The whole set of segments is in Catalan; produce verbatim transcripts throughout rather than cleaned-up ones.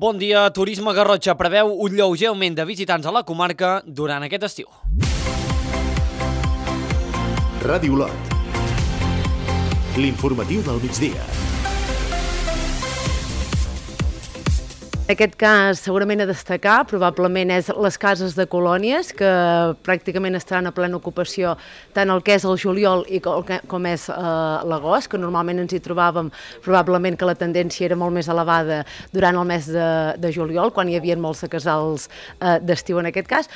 Bon dia. Turisme Garrotxa preveu un lleuger augment de visitants a la comarca durant aquest estiu. Ràdio Olot. L'informatiu del migdia. En aquest cas, segurament a destacar, probablement és les cases de colònies, que pràcticament estaran a plena ocupació tant el que és el juliol i com és eh, l'agost, que normalment ens hi trobàvem probablement que la tendència era molt més elevada durant el mes de, de juliol, quan hi havia molts casals eh, d'estiu en aquest cas.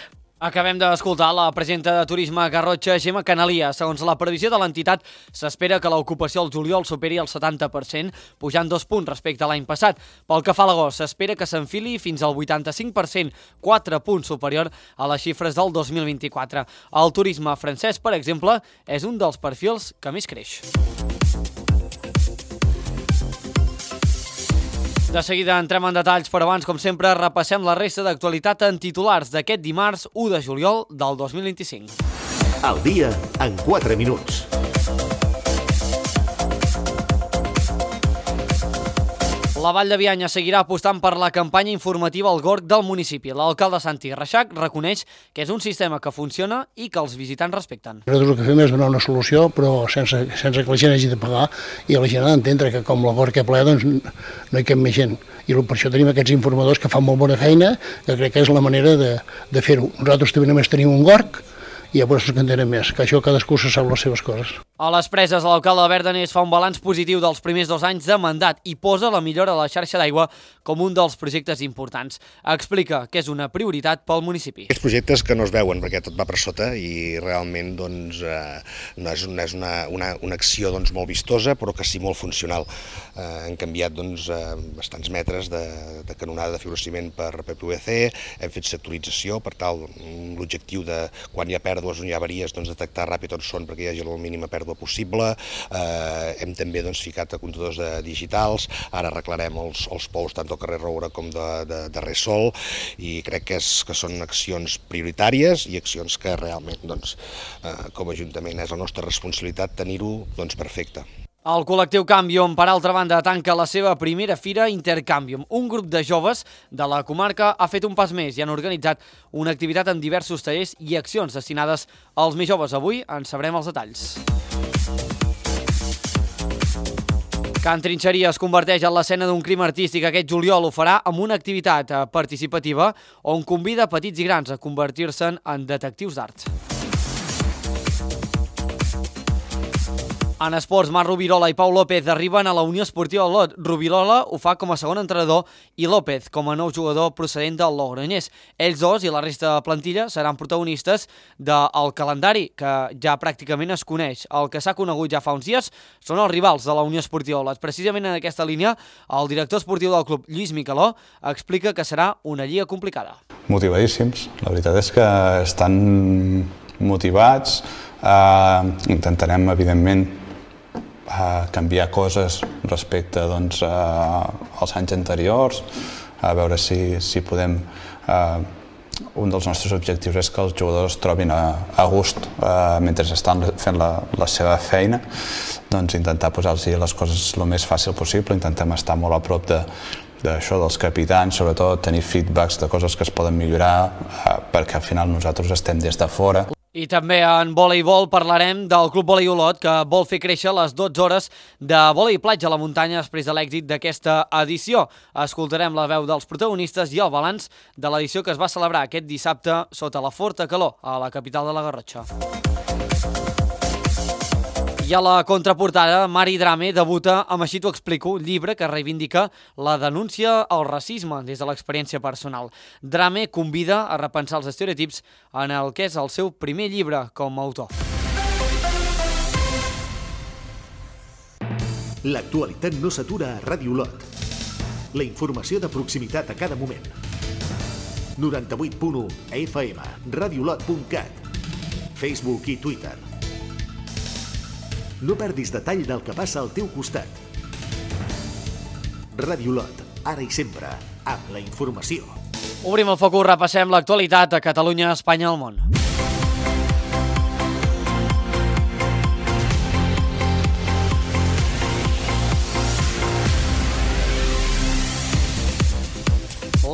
Acabem d'escoltar la presidenta de Turisme Garrotxa, Gemma Canalia. Segons la previsió de l'entitat, s'espera que l'ocupació al juliol superi el setanta per cent, pujant dos punts respecte a l'any passat. Pel que fa a l'agost, s'espera que s'enfili fins al vuitanta-cinc per cent, quatre punts superior a les xifres del dos mil vint-i-quatre. El turisme francès, per exemple, és un dels perfils que més creix. De seguida entrem en detalls, però abans, com sempre, repassem la resta d'actualitat en titulars d'aquest dimarts u de juliol del dos mil vint-i-cinc. Al dia en quatre minuts. La Vall de Bianya seguirà apostant per la campanya informativa al Gorg del municipi. L'alcalde Santi Reixac reconeix que és un sistema que funciona i que els visitants respecten. Nosaltres el que fem és donar una solució, però sense, sense que la gent hagi de pagar, i la gent ha d'entendre que com el Gorg que ple, doncs no hi cap més gent. I per això tenim aquests informadors que fan molt bona feina, que crec que és la manera de, de fer-ho. Nosaltres també només tenim un Gorg, i a vostres que en tenen més, que això cadascú se sap les seves coses. A les Preses, l'alcalde de Verdaners fa un balanç positiu dels primers dos anys de mandat i posa la millora de la xarxa d'aigua com un dels projectes importants. Explica que és una prioritat pel municipi. Aquests projectes que no es veuen perquè tot va per sota i realment doncs, eh, no és, no és una, una, una acció doncs, molt vistosa, però que sí molt funcional. Eh, hem canviat doncs, eh, bastants metres de, de canonada de fibrociment per P P V C, hem fet sectorització per tal l'objectiu de quan hi ha pèrdues, on hi ha avaries, doncs, detectar ràpid on són perquè hi hagi la mínima pèrdua possible. Eh, hem també doncs, ficat a comptadors de digitals, ara arreglarem els, els pous tant del carrer Roura com de, de, de Ressol, i crec que, és, que són accions prioritàries i accions que realment doncs, eh, com a Ajuntament és la nostra responsabilitat tenir-ho doncs, perfecte. El col·lectiu Canvium, per altra banda, tanca la seva primera fira Intercanvium. Un grup de joves de la comarca ha fet un pas més i han organitzat una activitat amb diversos tallers i accions destinades als més joves. Avui en sabrem els detalls. Can Trinxeria es converteix en l'escena d'un crim artístic. Aquest juliol ho farà amb una activitat participativa on convida petits i grans a convertir-se en detectius d'art. En esports, Marc Rubirola i Pau López arriben a la Unió Esportiva Olot. Rubirola ho fa com a segon entrenador i López com a nou jugador procedent del Logroñés. Ells dos i la resta de plantilla seran protagonistes del calendari, que ja pràcticament es coneix. El que s'ha conegut ja fa uns dies són els rivals de la Unió Esportiva Olot. Precisament en aquesta línia, el director esportiu del club, Lluís Micaló, explica que serà una lliga complicada. Motivadíssims. La veritat és que estan motivats. Uh, intentarem, evidentment, a canviar coses respecte doncs, a, als anys anteriors, a veure si, si podem... Eh, un dels nostres objectius és que els jugadors es trobin a, a gust eh, mentre estan fent la, la seva feina, doncs intentar posar-los les coses el més fàcil possible, intentem estar molt a prop de, d'això dels capitans, sobretot tenir feedbacks de coses que es poden millorar, eh, perquè al final nosaltres estem des de fora. I també en voleibol parlarem del Club Volei Olot, que vol fer créixer les dotze hores de volei platja a la muntanya després de l'èxit d'aquesta edició. Escoltarem la veu dels protagonistes i el balanç de l'edició que es va celebrar aquest dissabte sota la forta calor a la capital de la Garrotxa. I a la contraportada, Mari Drame debuta amb Així t'ho explico, llibre que reivindica la denúncia al racisme des de l'experiència personal. Drame convida a repensar els estereotips en el que és el seu primer llibre com a autor. L'actualitat no s'atura a Ràdio Olot. La informació de proximitat a cada moment. noranta-vuit punt u F M, radiolot punt cat, Facebook i Twitter. No perdis detall del que passa al teu costat. Ràdio Olot, ara i sempre, amb la informació. Obrim el focus, repassem l'actualitat a Catalunya, Espanya, al món.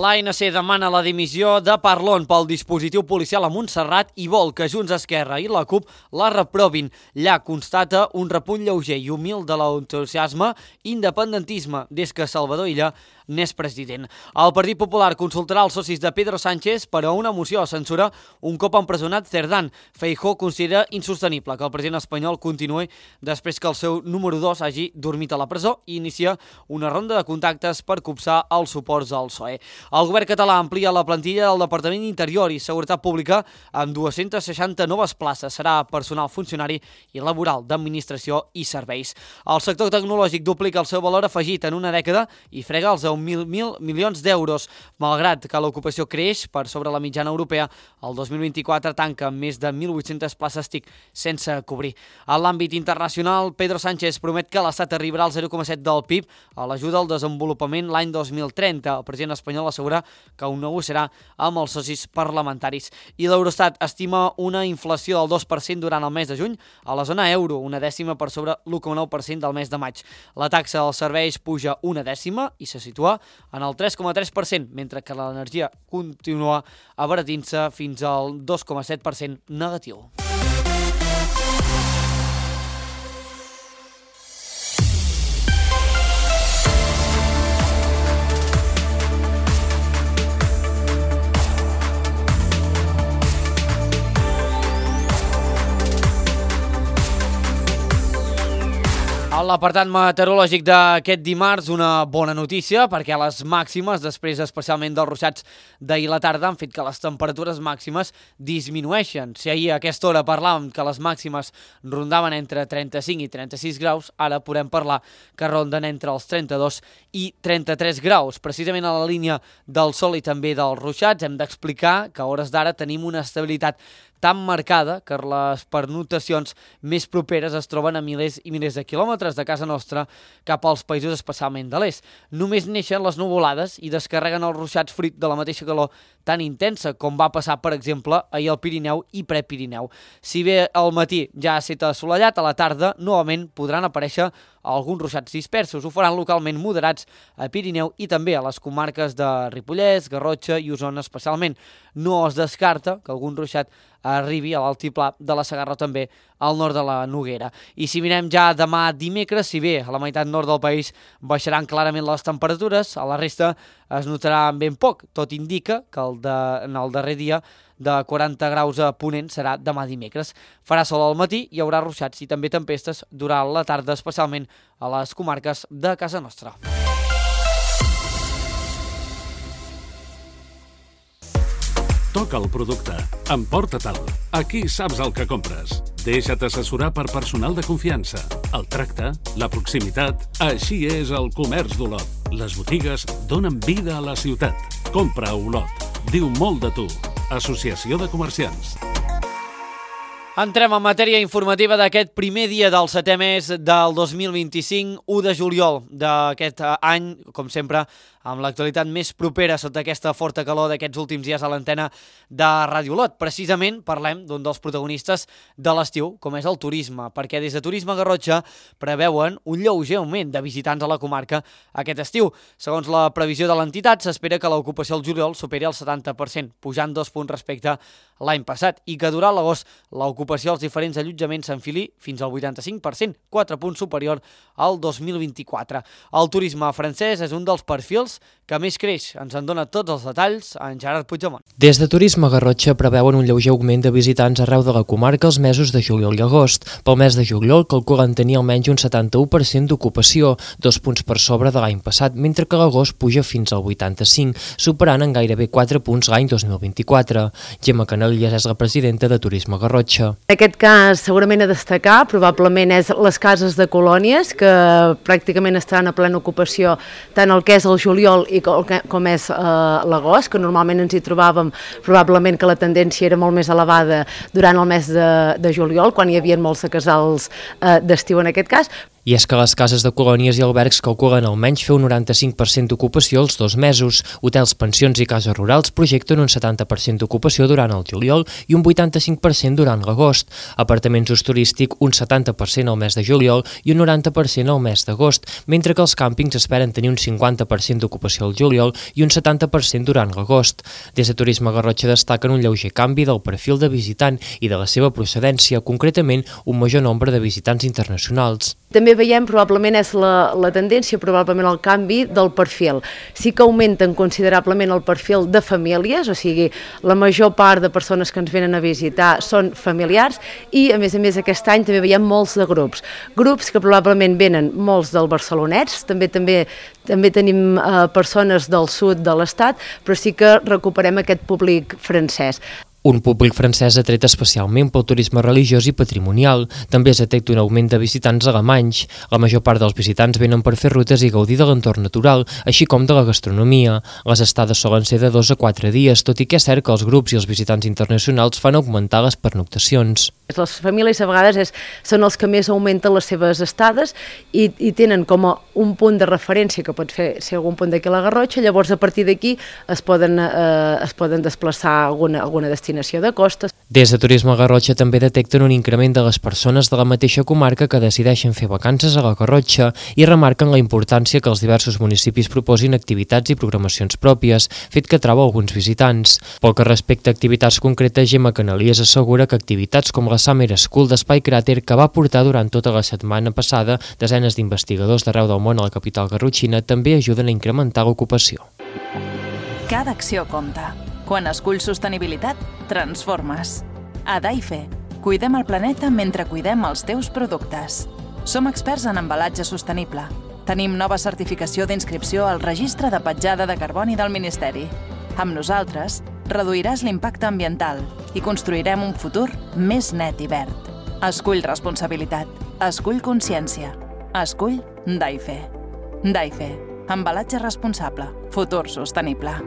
L'A N C demana la dimissió de Parlon pel dispositiu policial a Montserrat i vol que Junts, Esquerra i la CUP la reprovin. Llà constata un repunt lleuger i humil de l'entusiasme independentisme des que Salvador Illa n'és president. El Partit Popular consultarà els socis de Pedro Sánchez per a una moció de censura un cop empresonat Cerdán. Feijóo considera insostenible que el president espanyol continuï després que el seu número dos hagi dormit a la presó i inicia una ronda de contactes per copsar els suports al P S O E. El govern català amplia la plantilla del Departament d'Interior i Seguretat Pública amb dues-centes seixanta noves places. Serà personal funcionari i laboral d'administració i serveis. El sector tecnològic duplica el seu valor afegit en una dècada i frega els deu mil milions d'euros. Malgrat que l'ocupació creix per sobre la mitjana europea, el dos mil vint-i-quatre tanca amb més de mil vuit-centes places T I C sense cobrir. En l'àmbit internacional, Pedro Sánchez promet que l'Estat arribarà al zero coma set del P I B a l'ajuda al desenvolupament l'any dos mil trenta. El president espanyol assegura que ho negociarà amb els socis parlamentaris. I l'Eurostat estima una inflació del dos per cent durant el mes de juny a la zona euro, una dècima per sobre l'u coma nou per cent del mes de maig. La taxa dels serveis puja una dècima i se situa en el tres coma tres per cent, mentre que l'energia continua abaratint-se fins al dos coma set per cent negatiu. A l'apartat meteorològic d'aquest dimarts, una bona notícia, perquè les màximes, després especialment dels ruixats d'ahir a la tarda, han fet que les temperatures màximes disminueixen. Si ahir a aquesta hora parlàvem que les màximes rondaven entre trenta-cinc i trenta-sis graus, ara podem parlar que ronden entre els trenta-dos i trenta-tres graus. Precisament a la línia del sol i també dels ruixats hem d'explicar que a hores d'ara tenim una estabilitat tan marcada que les pernotacions més properes es troben a milers i milers de quilòmetres de casa nostra cap als països especialment de l'est. Només neixen les nuvolades i descarreguen els ruixats fruit de la mateixa calor tan intensa com va passar, per exemple, ahir al Pirineu i Prepirineu. Si bé al matí ja ha estat assolellat, a la tarda novament podran aparèixer alguns ruixats dispersos. Ho faran localment moderats a Pirineu i també a les comarques de Ripollès, Garrotxa i Osona especialment. No es descarta que algun ruixat arribi a l'altiplà de la Segarra o també al nord de la Noguera. I si mirem ja demà dimecres, si bé a la meitat nord del país baixaran clarament les temperatures, a la resta es notarà ben poc. Tot indica que el de, en el darrer dia de quaranta graus a Ponent serà demà dimecres. Farà sol al matí, hi haurà ruixats i també tempestes durant la tarda, especialment a les comarques de casa nostra. Toca el producte, emporta-te'l. Aquí saps el que compres. Deixa't assessorar per personal de confiança. El tracte, la proximitat, així és el comerç d'Olot. Les botigues donen vida a la ciutat. Compra a Olot. Diu molt de tu. Associació de Comerciants. Entrem en matèria informativa d'aquest primer dia del setè mes del dos mil vint-i-cinc, u de juliol d'aquest any, com sempre, amb l'actualitat més propera sota aquesta forta calor d'aquests últims dies a l'antena de Ràdio Olot. Precisament parlem d'un dels protagonistes de l'estiu, com és el turisme, perquè des de Turisme Garrotxa preveuen un lleuger augment de visitants a la comarca aquest estiu. Segons la previsió de l'entitat, s'espera que l'ocupació al juliol superi el setanta per cent, pujant dos punts respecte a l'any passat, i que durant l'agost l'ocupació als diferents allotjaments s'enfili fins al vuitanta-cinc per cent, quatre punts superior al dos mil vint-i-quatre. El turisme francès és un dels perfils que més creix. Ens en dona tots els detalls en Gerard Puigdemont. Des de Turisme Garrotxa preveuen un lleuger augment de visitants arreu de la comarca els mesos de juliol i agost. Pel mes de juliol calculen tenir almenys un setanta-u per cent d'ocupació, dos punts per sobre de l'any passat, mentre que l'agost puja fins al vuitanta-cinc, superant en gairebé quatre punts l'any dos mil vint-i-quatre. Gemma Canalillas és la presidenta de Turisme Garrotxa. En aquest cas, segurament a destacar, probablement és les cases de colònies, que pràcticament estan a plena ocupació, tant el que és el juliol i com és eh, l'agost, que normalment ens hi trobàvem, probablement que la tendència era molt més elevada durant el mes de, de juliol, quan hi havia molts casals eh, d'estiu en aquest cas, I és que les cases de colònies i albergs calculen almenys fer un noranta-cinc per cent d'ocupació els dos mesos. Hotels, pensions i cases rurals projecten un setanta per cent d'ocupació durant el juliol i un vuitanta-cinc per cent durant l'agost. Apartaments d'ús turístic un setanta per cent al mes de juliol i un noranta per cent al mes d'agost, mentre que els càmpings esperen tenir un cinquanta per cent d'ocupació al juliol i un setanta per cent durant l'agost. Des de Turisme Garrotxa destaquen un lleuger canvi del perfil de visitant i de la seva procedència, concretament un major nombre de visitants internacionals. També veiem, probablement és la, la tendència, probablement el canvi del perfil. Sí que augmenten considerablement el perfil de famílies, o sigui, la major part de persones que ens venen a visitar són familiars i, a més a més, aquest any també veiem molts de grups. Grups que probablement venen molts del barcelonets, també també també tenim eh, persones del sud de l'estat, però sí que recuperem aquest públic francès. Un públic francès atret especialment pel turisme religiós i patrimonial. També es detecta un augment de visitants alemanys. La major part dels visitants venen per fer rutes i gaudir de l'entorn natural, així com de la gastronomia. Les estades solen ser de dos a quatre dies, tot i que és cert que els grups i els visitants internacionals fan augmentar les pernoctacions. Les famílies a vegades és, són els que més augmenten les seves estades i, i tenen com a un punt de referència, que pot fer, ser algun punt d'aquí a la Garrotxa, llavors a partir d'aquí es, poden, eh, es poden desplaçar a alguna, alguna destinació de costes. Des de Turisme Garrotxa també detecten un increment de les persones de la mateixa comarca que decideixen fer vacances a la Garrotxa i remarquen la importància que els diversos municipis proposin activitats i programacions pròpies, fet que trau alguns visitants. Pel que respecta a activitats concretes, Gemma Canalies assegura que activitats com la Summer School d'Espai Cràter, que va portar durant tota la setmana passada desenes d'investigadors d'arreu del món a la capital garrotxina, també ajuden a incrementar l'ocupació. Cada acció compta. Quan esculls sostenibilitat, transformes. A Daife, cuidem el planeta mentre cuidem els teus productes. Som experts en embalatge sostenible. Tenim nova certificació d'inscripció al Registre de Petjada de Carboni del Ministeri. Amb nosaltres, reduiràs l'impacte ambiental i construirem un futur més net i verd. Escull responsabilitat. Escull consciència. Escull Daife. Daife. Embalatge responsable. Futur sostenible.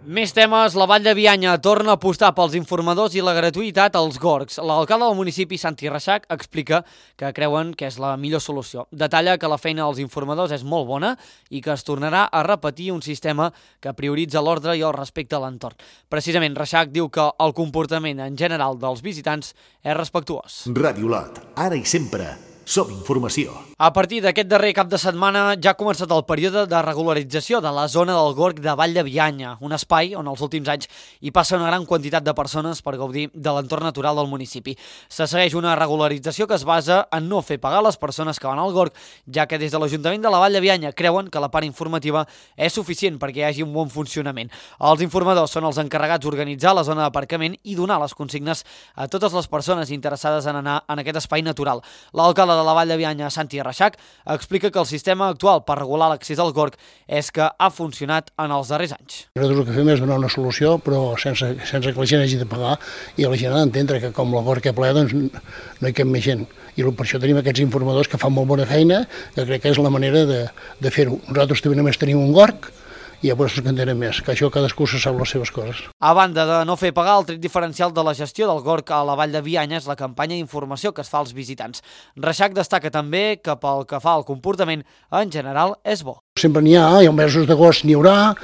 Més temes, la Vall de Bianya torna a apostar pels informadors i la gratuïtat als gorgs. L'alcalde del municipi, Santi Reixac, explica que creuen que és la millor solució. Detalla que la feina dels informadors és molt bona i que es tornarà a repetir un sistema que prioritza l'ordre i el respecte a l'entorn. Precisament, Reixac diu que el comportament en general dels visitants és respectuós. Ràdio Lot, ara i sempre. Som informació. A partir d'aquest darrer cap de setmana ja ha començat el període de regularització de la zona del gorg de Vall de Bianya, un espai on els últims anys hi passa una gran quantitat de persones per gaudir de l'entorn natural del municipi. Se segueix una regularització que es basa en no fer pagar les persones que van al gorg, ja que des de l'Ajuntament de la Vall de Bianya creuen que la part informativa és suficient perquè hi hagi un bon funcionament. Els informadors són els encarregats d'organitzar la zona d'aparcament i donar les consignes a totes les persones interessades en anar en aquest espai natural. L'alcalde de la Vall de Bianya, Santi Reixac, explica que el sistema actual per regular l'accés al gorg és que ha funcionat en els darrers anys. Nosaltres el que fem és donar una solució, però sense, sense que la gent hagi de pagar i la gent ha d'entendre que com el gorg és ple, doncs no hi cap més gent. I per això tenim aquests informadors que fan molt bona feina, que crec que és la manera de, de fer-ho. Nosaltres també només tenim un gorg, i llavors ens entenem més, que això cadascú se sap les seves coses. A banda de no fer pagar, el tret diferencial de la gestió del gorg a la Vall de Bianya és la campanya d'informació que es fa als visitants. Reixac destaca també que pel que fa al comportament, en general, és bo. Sempre n'hi ha, i als mesos d'agost n'hi haurà,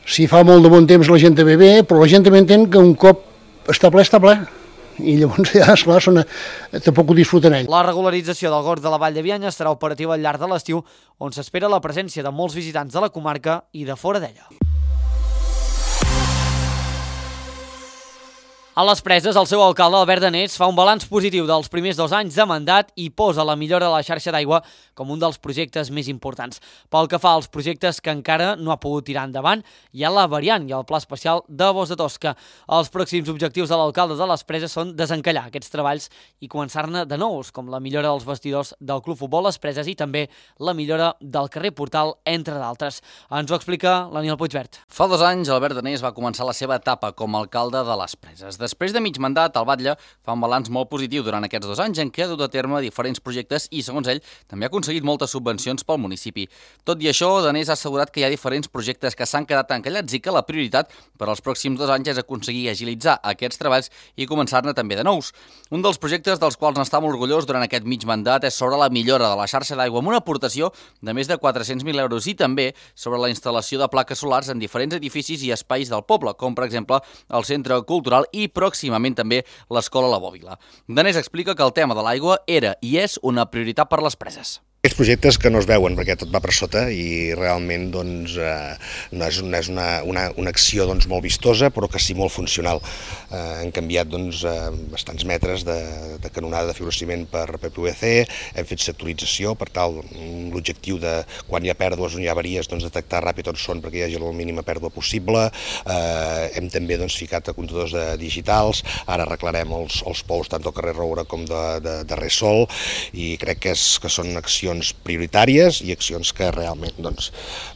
si fa molt de bon temps la gent ve bé, però la gent també entén que un cop està ple, està ple. I llavors ja, esclar, són, tampoc ho disfruten ells. La regularització del gorg de la Vall de Bianya estarà operativa al llarg de l'estiu, on s'espera la presència de molts visitants de la comarca i de fora d'ella. A les Preses, el seu alcalde, Albert Danés, fa un balanç positiu dels primers dos anys de mandat i posa la millora de la xarxa d'aigua com un dels projectes més importants. Pel que fa als projectes que encara no ha pogut tirar endavant, hi ha la variant i el pla especial de Bos de Tosca. Els pròxims objectius de l'alcalde de les Preses són desencallar aquests treballs i començar-ne de nous, com la millora dels vestidors del Club Futbol Les Preses i també la millora del carrer Portal, entre d'altres. Ens ho explica l'Aniel Puigvert. Fa dos anys, Albert Danés va començar la seva etapa com a alcalde de les Preses. Després de mig mandat, el Batlle fa un balanç molt positiu durant aquests dos anys en què ha dut a terme diferents projectes i, segons ell, també ha aconseguit moltes subvencions pel municipi. Tot i això, Danés ha assegurat que hi ha diferents projectes que s'han quedat encallats i que la prioritat per als pròxims dos anys és aconseguir agilitzar aquests treballs i començar-ne també de nous. Un dels projectes dels quals n'està molt orgullós durant aquest mig mandat és sobre la millora de la xarxa d'aigua amb una aportació de més de quatre-cents mil euros i també sobre la instal·lació de plaques solars en diferents edificis i espais del poble, com per exemple el Centre Cultural i pròximament també l'Escola La Bòbila. Danés explica que el tema de l'aigua era i és una prioritat per les preses. Aquests projectes que no es veuen perquè tot va per sota i realment doncs, eh, no és, no és una, una, una acció doncs, molt vistosa però que sí molt funcional. Eh, hem canviat doncs, eh, bastants metres de, de canonada de fibrociment per P V C, hem fet sectorització per tal l'objectiu de quan hi ha pèrdues o hi ha avaries doncs, detectar ràpid on són perquè hi hagi la mínima pèrdua possible. Eh, hem també doncs, ficat a comptadors de digitals, ara arreglarem els, els pous tant del carrer Roura com de, de, de Ressol i crec que, és, que són accions prioritàries i accions que realment doncs,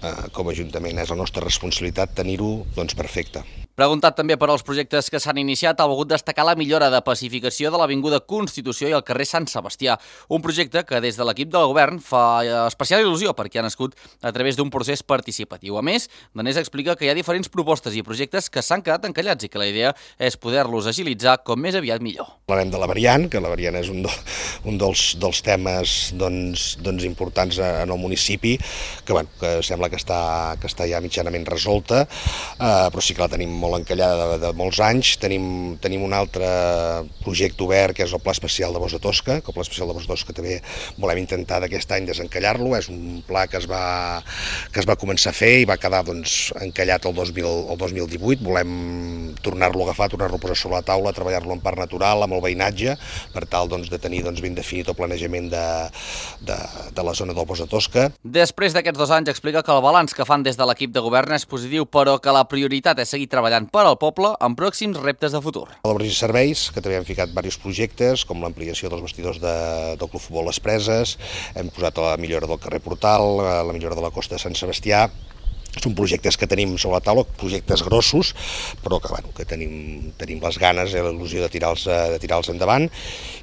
eh, com a Ajuntament és la nostra responsabilitat tenir-ho doncs, perfecte. Preguntat també per als projectes que s'han iniciat, ha volgut destacar la millora de pacificació de l'Avinguda Constitució i el carrer Sant Sebastià, un projecte que des de l'equip del govern fa especial il·lusió perquè ha nascut a través d'un procés participatiu. A més, Danés explica que hi ha diferents propostes i projectes que s'han quedat encallats i que la idea és poder-los agilitzar com més aviat millor. Parlarem de la variant, que la variant és un, do, un dels, dels temes doncs, doncs importants en el municipi, que, bueno, que sembla que està, que està ja mitjanament resolta, eh, però sí que la tenim molt encallada de, de molts anys. Tenim, tenim un altre projecte obert que és el Pla Especial de Bossa Tosca, que el Pla Especial de Bossa Tosca també volem intentar d'aquest any desencallar-lo. És un pla que es va, que es va començar a fer i va quedar doncs, encallat el dos mil, el dos mil divuit. Volem tornar-lo a agafar, tornar-lo a posar sobre la taula, treballar-lo en parc natural, amb el veïnatge, per tal doncs, de tenir doncs, ben definit el planejament de, de, de la zona del Bossa Tosca. Després d'aquests dos anys explica que el balanç que fan des de l'equip de govern és positiu, però que la prioritat és seguir treballant per al poble amb pròxims reptes de futur. Obres i serveis, que també hem ficat diversos projectes, com l'ampliació dels vestidors de, del Club Futbol Les Preses, hem posat la millora del carrer Portal, la millora de la costa de Sant Sebastià. Són projectes que tenim sobre la taula, projectes grossos, però que, bueno, que tenim, tenim les ganes i l'il·lusió de tirar-los de tirar-los endavant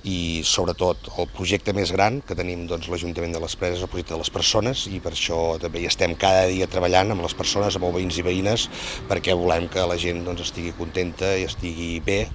i sobretot el projecte més gran que tenim doncs, l'Ajuntament de les Preses, el projecte de les persones i per això també hi estem cada dia treballant amb les persones, amb els veïns i veïnes perquè volem que la gent doncs, estigui contenta i estigui bé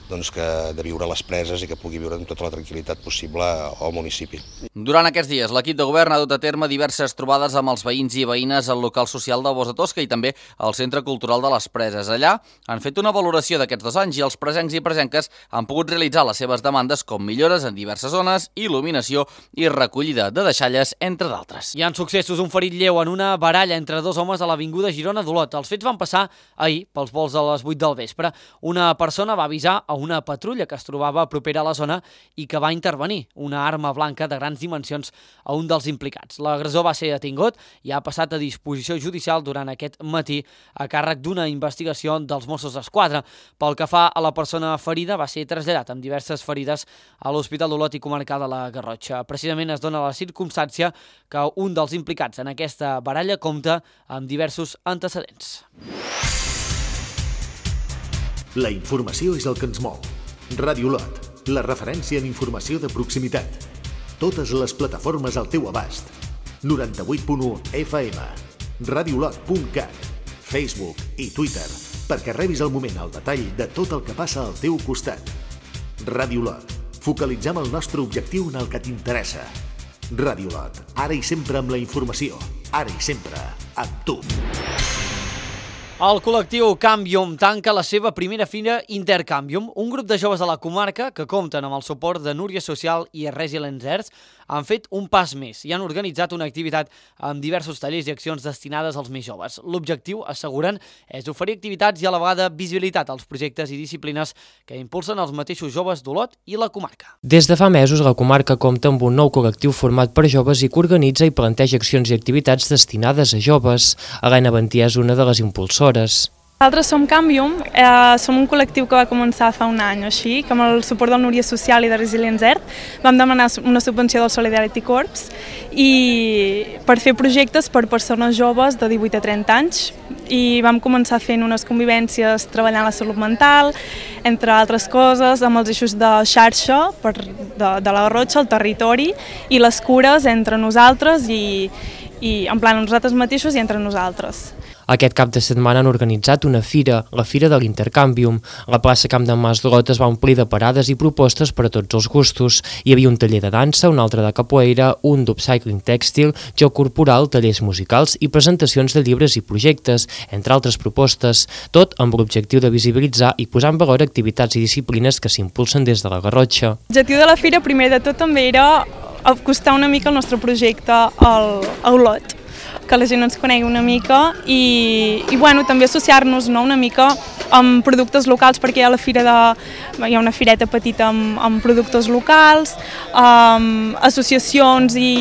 doncs, que, de viure a les Preses i que pugui viure amb tota la tranquil·litat possible al municipi. Durant aquests dies l'equip de govern ha dut a terme diverses trobades amb els veïns i veïnes al local social de Bossa Tosca i també al Centre Cultural de les Preses. Allà han fet una valoració d'aquests dos anys i els presencs i presenques han pogut realitzar les seves demandes com millores en diverses zones, il·luminació i recollida de deixalles, entre d'altres. Hi ha successos, un ferit lleu en una baralla entre dos homes a l'avinguda Girona d'Olot. Els fets van passar ahir pels vols a les vuit del vespre. Una persona va avisar a una patrulla que es trobava propera a la zona i que va intervenir una arma blanca de grans dimensions a un dels implicats. L'agressor va ser detingut i ha passat a disposició judicial durant aquest matí a càrrec d'una investigació dels Mossos d'Esquadra. Pel que fa a la persona ferida, va ser traslladat amb diverses ferides a l'Hospital d'Olot i Comarcal de la Garrotxa. Precisament es dona la circumstància que un dels implicats en aquesta baralla compta amb diversos antecedents. La informació és el que ens mou. Ràdio Olot, la referència en informació de proximitat. Totes les plataformes al teu abast. noranta-vuit punt u F M, radiolot punt cat, Facebook i Twitter, perquè rebis al moment el detall de tot el que passa al teu costat. Ràdio Olot, focalitzem el nostre objectiu en el que t'interessa. Ràdio Olot, ara i sempre amb la informació, ara i sempre amb tu. El col·lectiu Canvium tanca la seva primera fira Intercanvium, un grup de joves de la comarca que compten amb el suport de Núria Social i Resilience Earth, han fet un pas més i han organitzat una activitat amb diversos tallers i accions destinades als més joves. L'objectiu, asseguren, és oferir activitats i a la vegada visibilitat als projectes i disciplines que impulsen els mateixos joves d'Olot i la comarca. Des de fa mesos, la comarca compta amb un nou col·lectiu format per joves i que organitza i planteja accions i activitats destinades a joves. Helena Bantià és una de les impulsores. Nosaltres som Canvium, eh, som un col·lectiu que va començar fa un any o així, que amb el suport del Núria Social i de Resilience Earth vam demanar una subvenció del Solidarity Corps i per fer projectes per persones joves de divuit a trenta anys, i vam començar fent unes convivències treballant la salut mental, entre altres coses, amb els eixos de xarxa per, de, de la Garrotxa, el territori, i les cures entre nosaltres i, i en plan nosaltres mateixos i entre nosaltres. Aquest cap de setmana han organitzat una fira, la Fira de l'Intercanvium. La plaça Camp d'en Mas-Drot es va omplir de parades i propostes per a tots els gustos. Hi havia un taller de dansa, un altre de capoeira, un d'upcycling tèxtil, joc corporal, tallers musicals i presentacions de llibres i projectes, entre altres propostes, tot amb l'objectiu de visibilitzar i posar en valor activitats i disciplines que s'impulsen des de la Garrotxa. L'objectiu de la fira, primer de tot, també era acostar una mica el nostre projecte al, a Olot, que la gent ens conegui una mica i, i bueno, també associar-nos, no, una mica amb productes locals, perquè hi ha la fira de, hi ha una fireta petita amb, amb productes locals, amb associacions i,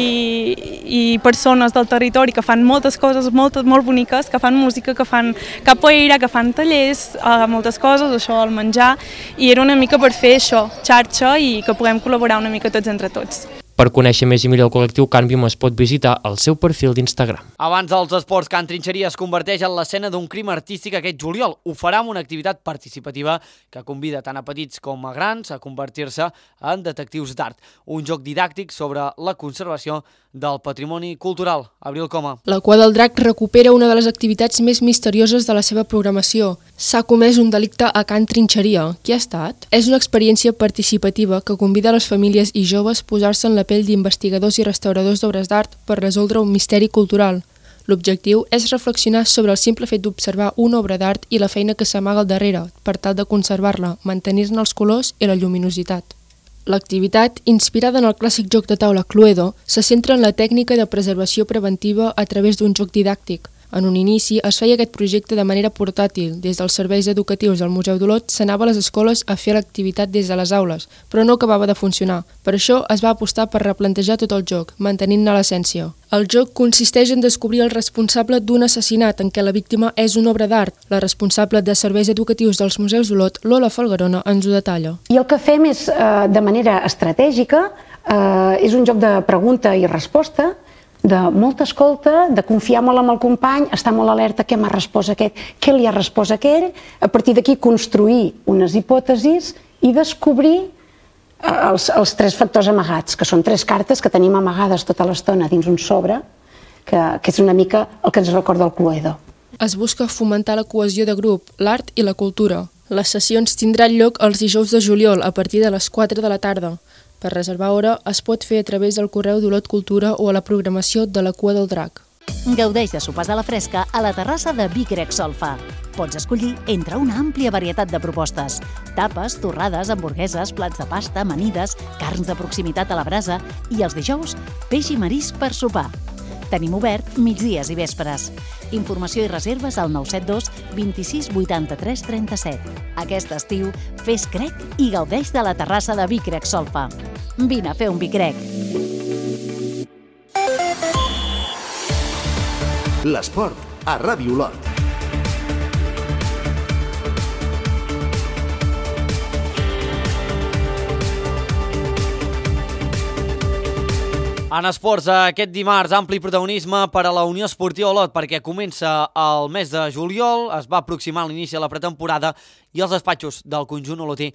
i persones del territori que fan moltes coses molt, molt boniques, que fan música, que fan capoeira, que fan tallers, eh, moltes coses, això, el menjar, i era una mica per fer això, xarxa, i que puguem col·laborar una mica tots entre tots. Per conèixer més i millor el col·lectiu Canvium es pot visitar el seu perfil d'Instagram. Abans dels esports, Can Trinxeria es converteix en l'escena d'un crim artístic aquest juliol. Ho farà amb una activitat participativa que convida tant a petits com a grans a convertir-se en detectius d'art. Un joc didàctic sobre la conservació del patrimoni cultural. Abril Coma. La Cua del Drac recupera una de les activitats més misterioses de la seva programació. S'ha comès un delicte a Can Trinxeria. Qui ha estat? És una experiència participativa que convida a les famílies i joves a posar-se en la pell d'investigadors i restauradors d'obres d'art per resoldre un misteri cultural. L'objectiu és reflexionar sobre el simple fet d'observar una obra d'art i la feina que s'amaga al darrere per tal de conservar-la, mantenir-ne els colors i la lluminositat. L'activitat, inspirada en el clàssic joc de taula Cluedo, se centra en la tècnica de preservació preventiva a través d'un joc didàctic. En un inici es feia aquest projecte de manera portàtil. Des dels serveis educatius del Museu d'Olot s'anava a les escoles a fer l'activitat des de les aules, però no acabava de funcionar. Per això es va apostar per replantejar tot el joc, mantenint-ne l'essència. El joc consisteix en descobrir el responsable d'un assassinat en què la víctima és una obra d'art. La responsable de serveis educatius dels Museus d'Olot, Lola Falgarona, ens ho detalla. I el que fem és, eh, de manera estratègica, eh, és un joc de pregunta i resposta, de molta escolta, de confiar molt en el company, estar molt alerta què m'ha respost aquest, què li ha respost aquell, a partir d'aquí construir unes hipòtesis i descobrir els, els tres factors amagats, que són tres cartes que tenim amagades tota l'estona dins un sobre, que, que és una mica el que ens recorda el Cluedo. Es busca fomentar la cohesió de grup, l'art i la cultura. Les sessions tindran lloc els dijous de juliol a partir de les quatre de la tarda. Per reservar hora es pot fer a través del correu d'Olot Cultura o a la programació de la Cua del Drac. Gaudeix de sopars a la fresca a la terrassa de Vic Grec Solfa. Pots escollir entre una àmplia varietat de propostes. Tapes, torrades, hamburgueses, plats de pasta, amanides, carns de proximitat a la brasa i els dijous, peix i marisc per sopar. Tenim obert migdies i vespres. Informació i reserves al nou set dos vint-i-sis vuitanta-tres trenta-set. Aquest estiu, fes crec i gaudeix de la terrassa de Vic Grec Solfa. Vine a fer un Vic Grec. L'esport a Ràdio Olot. En esports, aquest dimarts, ampli protagonisme per a la Unió Esportiva Olot perquè comença el mes de juliol, es va aproximar l'inici de la pretemporada i els despatxos del conjunt olotí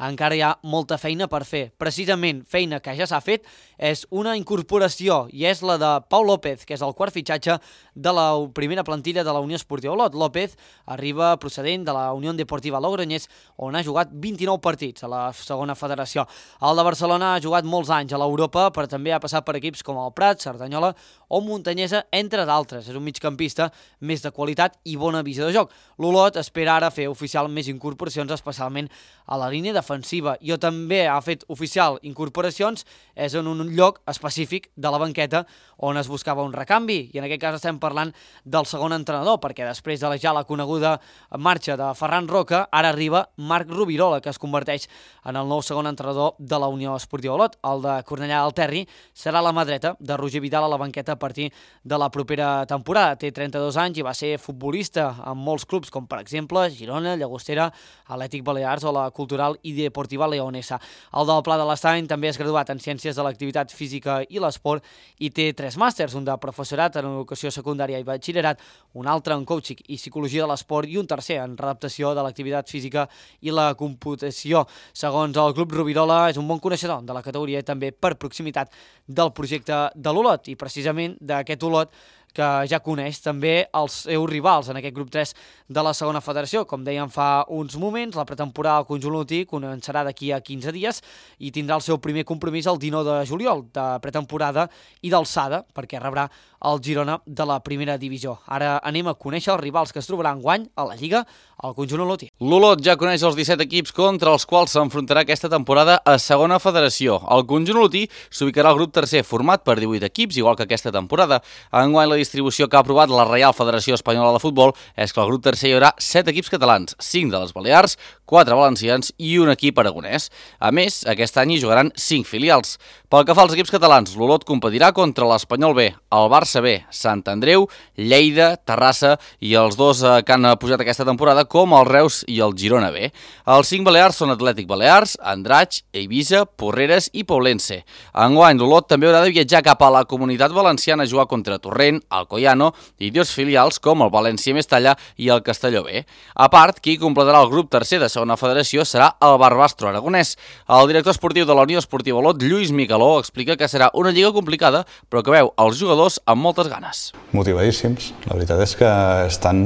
encara hi ha molta feina per fer. Precisament, feina que ja s'ha fet és una incorporació i és la de Pau López, que és el quart fitxatge de la primera plantilla de la Unió Esportiva Olot. López arriba procedent de la Unió Deportiva Logroñés, on ha jugat vint-i-nou partits a la segona federació. El de Barcelona ha jugat molts anys a l'Europa, però també ha passat per equips com el Prat, Cerdanyola o Muntanyesa, entre d'altres. És un migcampista més de qualitat i bona visió de joc. L'Olot espera ara fer oficial més incorporacions, especialment a la línia defensiva. Jo també ha fet oficial incorporacions, és en un lloc específic de la banqueta on es buscava un recanvi, i en aquest cas estem parlant del segon entrenador, perquè després de la ja la coneguda marxa de Ferran Roca, ara arriba Marc Rubirola, que es converteix en el nou segon entrenador de la Unió Esportiva Olot. El de Cornellà del Terri serà la mà dreta de Roger Vidal a la banqueta a partir de la propera temporada. Té trenta-dos anys i va ser futbolista en molts clubs, com per exemple Girona, Llagostera, Atlètic Balears o la Cultural i Deportiva Leonesa. El del Pla de l'Estany també és graduat en Ciències de l'Activitat Física i l'Esport i té tres màsters, un de professorat en educació secundària i batxillerat, un altre en coaching i psicologia de l'esport i un tercer en readaptació de l'activitat física i la computació. Segons el Club Rovirola, és un bon coneixedor de la categoria i també per proximitat del projecte de l'Olot i precisament d'aquest Olot que ja coneix també els seus rivals en aquest grup tres de la segona federació. Com dèiem fa uns moments, la pretemporada del conjunt olotí començarà d'aquí a quinze dies i tindrà el seu primer compromís el dinou de juliol de pretemporada i d'alçada perquè rebrà el Girona de la primera divisió. Ara anem a conèixer els rivals que es trobaran enguany a la Lliga al conjunt olotí. L'Olot ja coneix els disset equips contra els quals s'enfrontarà aquesta temporada a segona federació. El conjunt olotí s'ubicarà al grup tercer format per divuit equips, igual que aquesta temporada. Enguany la distribució que ha aprovat la Reial Federació Espanyola de Futbol és que al grup tercer hi haurà set equips catalans, cinc de les Balears, quatre valencians i un equip aragonès. A més, aquest any hi jugaran cinc filials. Pel que fa als equips catalans, l'Olot competirà contra l'Espanyol B, el Barça B, Sant Andreu, Lleida, Terrassa i els dos que han pujat aquesta temporada com el Reus i el Girona B. Els cinc balears són Atlètic Balears, Andratx, Eivissa, Porreres i Poblense. Enguany, l'Olot també haurà de viatjar cap a la Comunitat Valenciana a jugar contra Torrent, Alcoyano i dos filials com el València Mestalla i el Castelló B. A part, qui completarà el grup tercer de segona federació serà el Barbastro aragonès. El director esportiu de la Unió Esportiva Olot, Lluís Micaló, explica que serà una lliga complicada, però que veu els jugadors amb moltes ganes. Motivadíssims. La veritat és que estan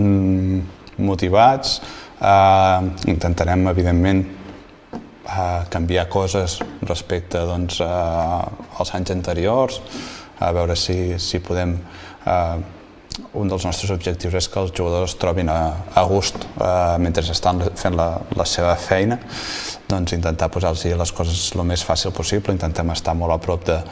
motivats. Eh, intentarem, evidentment, eh, canviar coses respecte doncs, eh, als anys anteriors, a veure si, si podem... Eh, un dels nostres objectius és que els jugadors es trobin a, a gust eh, mentre estan fent la, la seva feina, doncs intentar posar-los les coses el més fàcil possible, intentem estar molt a prop de,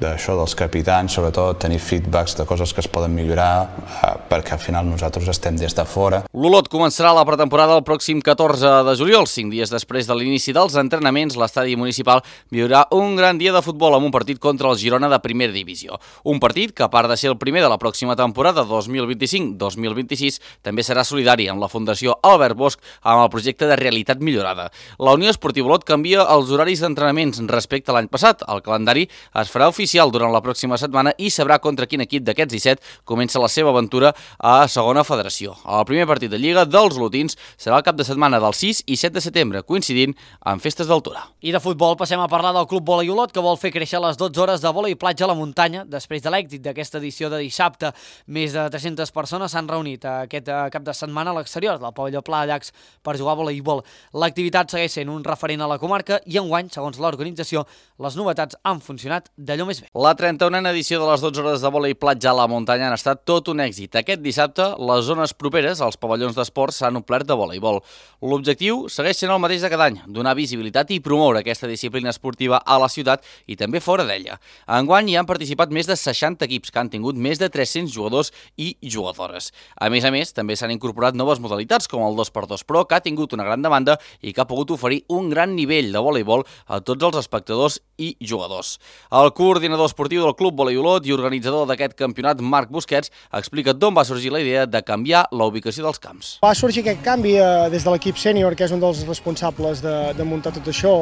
d'això dels capitans, sobretot tenir feedbacks de coses que es poden millorar eh, perquè al final nosaltres estem des de fora. L'Olot començarà la pretemporada el pròxim catorze de juliol. Cinc dies després de l'inici dels entrenaments, l'estadi municipal viurà un gran dia de futbol amb un partit contra el Girona de primera divisió. Un partit que, a part de ser el primer de la pròxima temporada dos mil vint-i-cinc dos mil vint-i-sis, també serà solidari amb la Fundació Albert Bosch amb el projecte de realitat millorada. La Unió Esportiva Olot canvia els horaris d'entrenaments respecte a l'any passat. El calendari es farà oficial durant la pròxima setmana i sabrà contra quin equip d'aquests disset comença la seva aventura a segona federació. El primer partit de Lliga dels olotins serà el cap de setmana del sis i set de setembre, coincidint amb festes d'altura. I de futbol passem a parlar del Club Vòlei Olot, que vol fer créixer les dotze hores de vòlei platja a la muntanya després de l'èxit d'aquesta edició de dissabte. Més de tres-centes persones s'han reunit aquest cap de setmana a l'exterior del pavelló Pla de Llacs per jugar a voleibol. L'activitat segueix sent un referent a la comarca i enguany, segons l'organització, les novetats han funcionat d'allò més bé. La trenta-unena edició de les dotze hores de vòlei platja a la muntanya han estat tot un èxit. Aquest dissabte, les zones properes als pavellons d'esports s'han omplert de voleibol. L'objectiu segueix sent el mateix de cada any, donar visibilitat i promoure aquesta disciplina esportiva a la ciutat i també fora d'ella. Enguany hi han participat més de seixanta equips que han tingut més de tres-cents jugadors i jugadores. A més a més, també s'han incorporat noves modalitats com el dos per dos Pro, que ha tingut una gran demanda i que ha pogut oferir un gran nivell de voleibol a tots els espectadors i jugadors. El coordinador esportiu del Club Vòlei Olot i organitzador d'aquest campionat, Marc Busquets, explica d'on va sorgir la idea de canviar la ubicació dels camps. Va sorgir aquest canvi eh, des de l'equip sènior, que és un dels responsables de, de muntar tot això.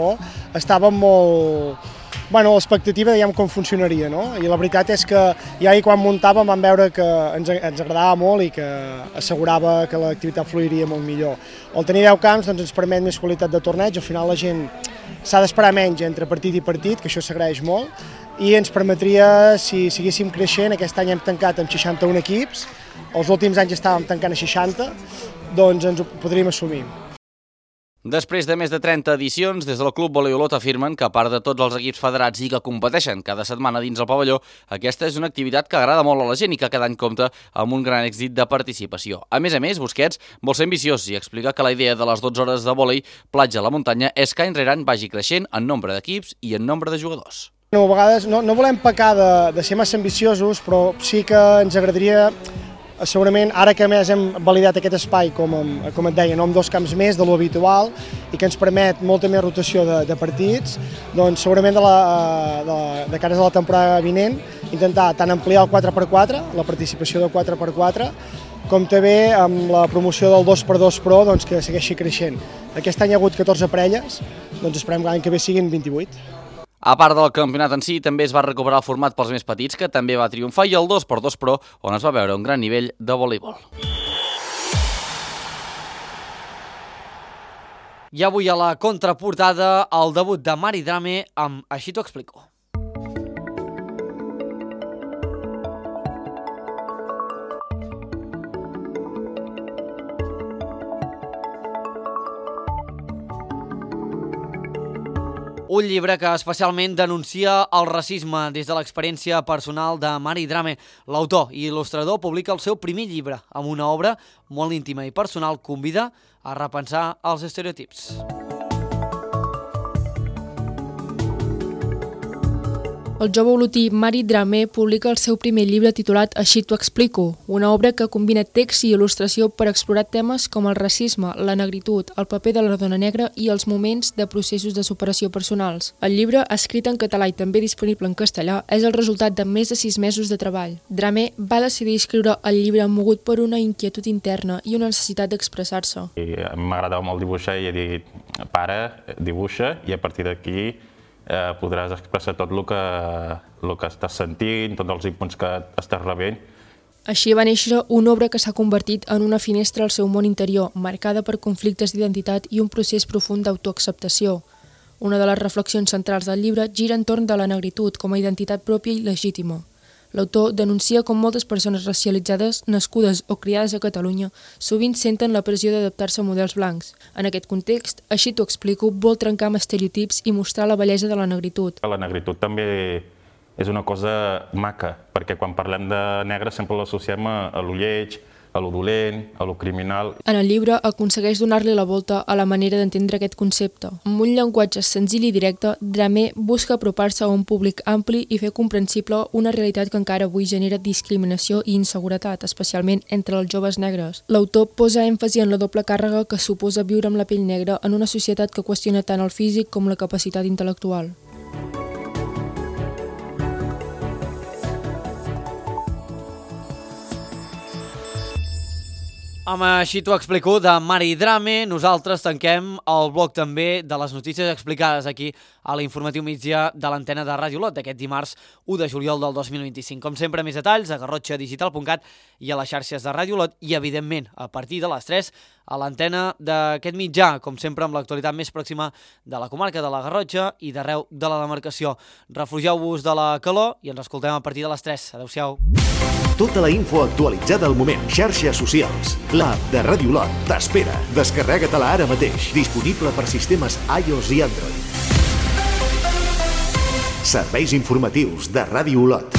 Estàvem molt... Bueno, l'expectativa, diguem, com funcionaria, no? I la veritat és que ja quan muntàvem vam veure que ens, ens agradava molt i que assegurava que l'activitat fluiria molt millor. El tenir deu camps doncs, ens permet més qualitat de torneig, al final la gent s'ha d'esperar menys entre partit i partit, que això s'agraeix molt, i ens permetria, si seguíssim creixent, aquest any hem tancat amb seixanta-un equips, els últims anys estàvem tancant a seixanta, doncs ens ho podríem assumir. Després de més de trenta edicions, des del Club Vòlei Olot afirmen que, a part de tots els equips federats i que competeixen cada setmana dins el pavelló, aquesta és una activitat que agrada molt a la gent i que cada any compta amb un gran èxit de participació. A més a més, Busquets vol ser ambiciós i explica que la idea de les dotze hores de vòlei platja a la muntanya és que any rere any vagi creixent en nombre d'equips i en nombre de jugadors. No, a vegades no, no volem pecar de, de ser massa ambiciosos, però sí que ens agradaria segurament ara que més hem validat aquest espai, com, com et deia, no amb dos camps més de lo habitual i que ens permet molta més rotació de, de partits, doncs segurament de, la, de, de cares a la temporada vinent intentar tant ampliar el quatre per quatre, la participació del quatre per quatre, com també amb la promoció del dos per dos Pro doncs, que segueixi creixent. Aquest any hi ha hagut catorze parelles, doncs esperem que l'any que ve siguin vint-i-vuit. A part del campionat en si, també es va recuperar el format pels més petits, que també va triomfar, i el dos per dos Pro, on es va veure un gran nivell de voleibol. I avui a la contraportada, el debut de Mari Drame amb Així t'ho explico. Un llibre que especialment denuncia el racisme des de l'experiència personal de Mari Drame. L'autor i il·lustrador publica el seu primer llibre amb una obra molt íntima i personal, convida a repensar els estereotips. El jove olotí Mari Drame publica el seu primer llibre titulat Així t'ho explico, una obra que combina text i il·lustració per explorar temes com el racisme, la negritud, el paper de la dona negra i els moments de processos de superació personals. El llibre, escrit en català i també disponible en castellà, és el resultat de més de sis mesos de treball. Drame va decidir escriure el llibre mogut per una inquietud interna i una necessitat d'expressar-se. M'agradava molt dibuixar i he dit, pare, dibuixa, i a partir d'aquí Eh, podràs expressar tot el que, el que estàs sentint, tots els inputs que estàs rebent. Així va néixer una obra que s'ha convertit en una finestra al seu món interior, marcada per conflictes d'identitat i un procés profund d'autoacceptació. Una de les reflexions centrals del llibre gira entorn de la negritud com a identitat pròpia i legítima. L'autor denuncia com moltes persones racialitzades, nascudes o criades a Catalunya, sovint senten la pressió d'adaptar-se a models blancs. En aquest context, Així t'ho explico, vol trencar amb estereotips i mostrar la bellesa de la negritud. La negritud també és una cosa maca, perquè quan parlem de negre sempre l'associem a lo lleig, a lo dolent, a lo criminal. En el llibre aconsegueix donar-li la volta a la manera d'entendre aquest concepte. Amb un llenguatge senzill i directe, Drame busca apropar-se a un públic ampli i fer comprensible una realitat que encara avui genera discriminació i inseguretat, especialment entre els joves negres. L'autor posa èmfasi en la doble càrrega que suposa viure amb la pell negra en una societat que qüestiona tant el físic com la capacitat intel·lectual. Amb Així t'ho explico, de Mari Drame, nosaltres tanquem el bloc també de les notícies explicades aquí a l'informatiu migdia de l'antena de Ràdio Olot d'aquest dimarts u de juliol del dos mil vint-i-cinc. Com sempre, més detalls a garrotxa digital punt cat i a les xarxes de Ràdio Olot i, evidentment, a partir de les tres a l'antena d'aquest mitjà, com sempre amb l'actualitat més pròxima de la comarca de la Garrotxa i d'arreu de la demarcació. Refugieu-vos de la calor i ens escoltem a partir de les tres. Adéu-siau. Tota la info actualitzada al moment. Xarxes socials. L'app de Ràdio Olot t'espera. Descarrega-te-la ara mateix. Disponible per sistemes iOS i Android. Serveis informatius de Ràdio Olot.